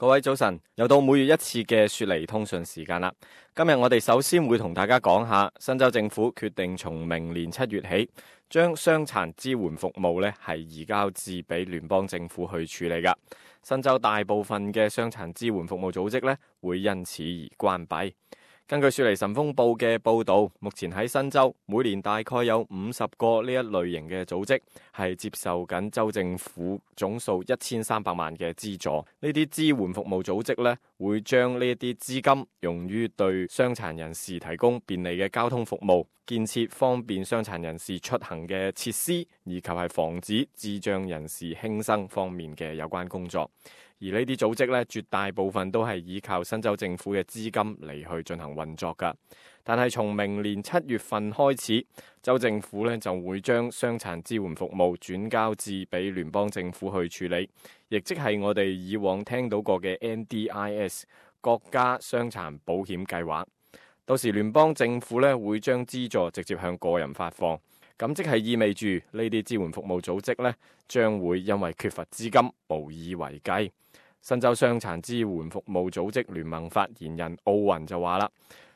各位早晨，又到每月一次嘅雪梨通訊時間啦。今日我哋首先會同大家講下，新州政府決定從明年7月起，將傷殘支援服務呢係移交至俾聯邦政府去處理噶。新州大部分嘅傷殘支援服務組織呢會因此而關閉。根據雪梨晨鋒報嘅報導，目前喺新州每年大概有50個呢一類型嘅組織係接受緊州政府總數1300萬嘅資助。呢啲支援服務組織呢會將呢一啲資金用於對傷殘人士提供便利嘅交通服務，建設方便傷殘人士出行嘅設施，以及係防止智障人士輕生方面嘅有關工作。而呢啲組織咧，絕大部分都係依靠新州政府嘅資金嚟去進行運作㗎。但係從明年7月份開始，州政府咧就會將傷殘支援服務轉交至俾聯邦政府去處理，亦即係我哋以往聽到過嘅 NDIS 國家傷殘保險計劃。到時聯邦政府咧會將資助直接向個人發放。咁即係意味住呢啲支援服務組織呢將會因為缺乏資金無以為繼。新州傷殘支援服務組織聯盟發言人奧雲就話啦，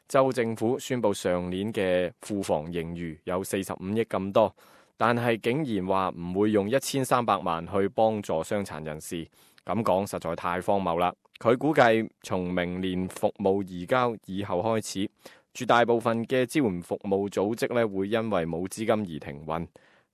州政府宣布上年嘅庫房盈餘有45億咁多，但係竟然話唔會用1300萬去幫助傷殘人士，咁講實在太荒謬啦。佢估計從明年服務移交以後開始，絕大部分嘅支援服務組織咧會因為冇資金而停運。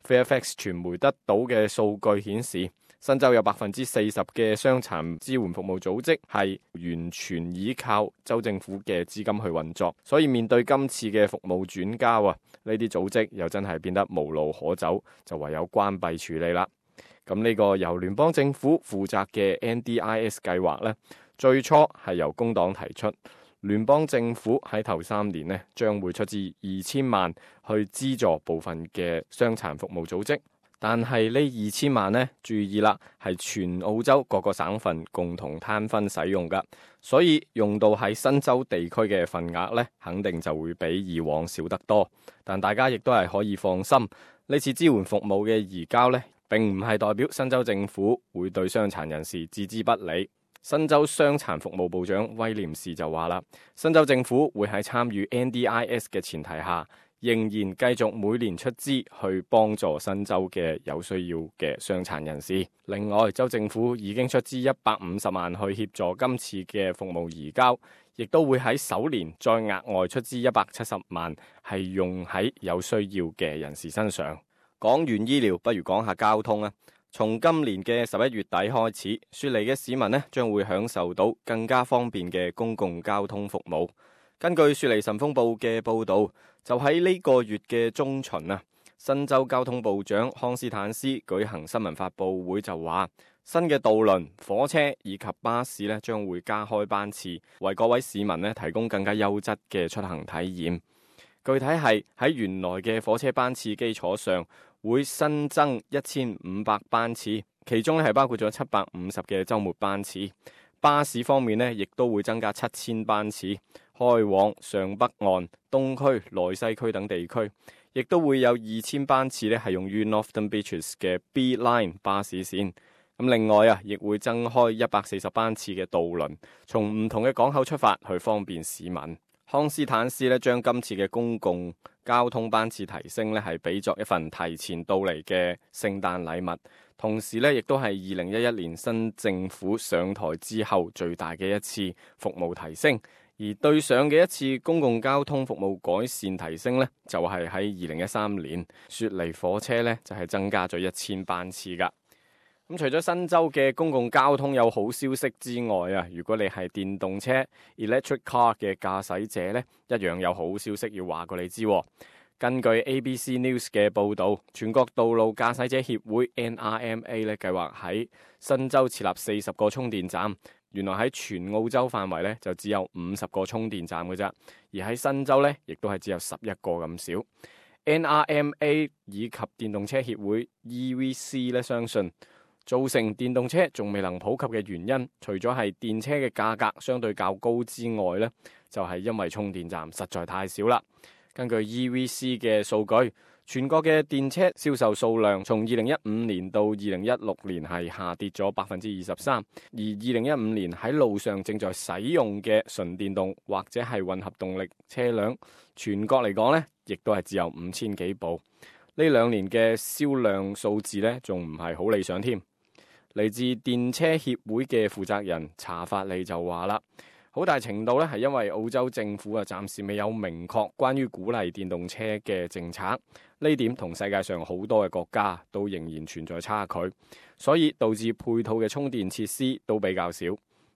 Fairfax 傳媒得到嘅數據顯示，新州有40%嘅傷殘支援服務組織係完全依靠州政府嘅資金去運作，所以面對今次嘅服務轉交啊，呢啲組織又真係變得無路可走，就唯有關閉處理啦。咁呢個由聯邦政府負責嘅 NDIS 計劃呢，最初係由工黨提出。聯邦政府喺頭3年呢，將會出資2000萬去資助部分嘅傷殘服務組織，但係呢2000萬呢，注意啦，係全澳洲各個省份共同攤分使用噶，所以用到喺新州地區嘅份額呢，肯定就會比以往少得多。但大家亦都係可以放心，呢次支援服務嘅移交呢，並唔係代表新州政府會對傷殘人士置之不理。新州傷殘服務部長威廉士就話啦，新州政府會喺參與 NDIS 嘅前提下，仍然繼續每年出資去幫助新州嘅有需要嘅傷殘人士。另外，州政府已經出資150萬去協助今次嘅服務移交，亦都會喺首年再額外出資170萬，係用喺有需要嘅人士身上。講完醫療，不如講下交通啊。從今年嘅11月底開始，雪梨嘅市民呢將會享受到更加方便嘅公共交通服務。根據雪梨晨鋒報嘅報導，就喺呢個月嘅中旬啊，新州交通部長康斯坦斯舉行新聞發佈會就話，新嘅渡輪、火車以及巴士呢將會加開班次，為各位市民呢提供更加優質嘅出行體驗。具體係喺原來嘅火車班次基礎上，會新增1500班次，其中係包括咗750嘅週末班次。巴士方面呢，亦都會增加7000班次，開往上北岸、東區、內西區等地區，亦都會有2000班次呢係用於 Northern Beaches 嘅 B Line 巴士線。咁另外啊，亦會增開140班次嘅渡輪，從唔同嘅港口出發，去方便市民。康斯坦斯咧將今次嘅公共交通班次提升咧，係比作一份提前到嚟嘅聖誕禮物，同時咧亦都係2011年新政府上台之後最大嘅一次服務提升。而對上嘅一次公共交通服務改善提升咧，就係喺2013年，雪梨火車咧就係增加咗1000班次噶。咁除咗新州嘅公共交通有好消息之外啊，如果你係電動車 electric car 嘅駕駛者呢，一樣有好消息要話過你知。根據 ABC News 嘅報導，全國道路駕駛者協會 NRMA 咧計劃喺新州設立40個充電站。原來喺全澳洲範圍呢，就只有50個充電站嘅啫，而喺新州呢，亦都係只有11個咁少。NRMA 以及電動車協會 EVC 咧相信，造成電動車仲未能普及嘅原因，除咗係電車嘅價格相對較高之外呢，就係因為充電站實在太少啦。根據 EVC 嘅數據，全國嘅電車銷售數量從2015年到2016年係下跌咗23%，而2015年喺路上正在使用嘅純電動或者係混合動力車輛，全國嚟講呢，亦都係只有5000幾部。呢2年嘅銷量數字呢，仲唔係好理想添。嚟自電車協會嘅負責人查法利就話啦，好大程度咧係因為澳洲政府暫時未有明確關於鼓勵電動車嘅政策，呢點同世界上好多嘅國家都仍然存在差距，所以導致配套嘅充電設施都比較少。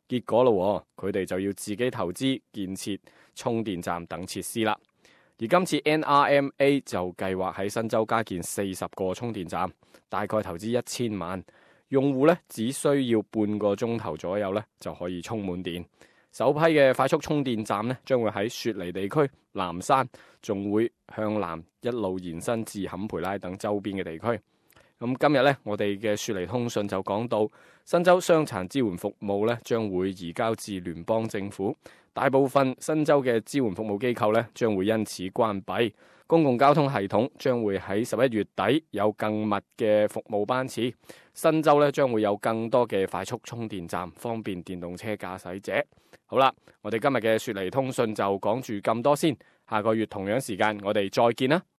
結果咯，佢哋就要自己投資建設充電站等設施啦。而今次 NRMA 就計劃喺新州加建40個充電站，大概投資1000萬。用戶咧只需要半個鐘頭左右咧就可以充滿電。首批嘅快速充電站咧將會喺雪梨地區、南山，仲會向南一路延伸至坎培拉等周邊嘅地區。咁今日咧，我哋嘅雪梨通訊就講到，新州傷殘支援服務咧將會移交至聯邦政府，大部分新州嘅支援服務機構咧將會因此關閉。公共交通系統將會喺11月底有更密嘅服務班次，新州咧將會有更多嘅快速充電站，方便電動車駕駛者。好啦，我哋今日嘅雪梨通訊就講住咁多先，下個月同樣時間我哋再見啦。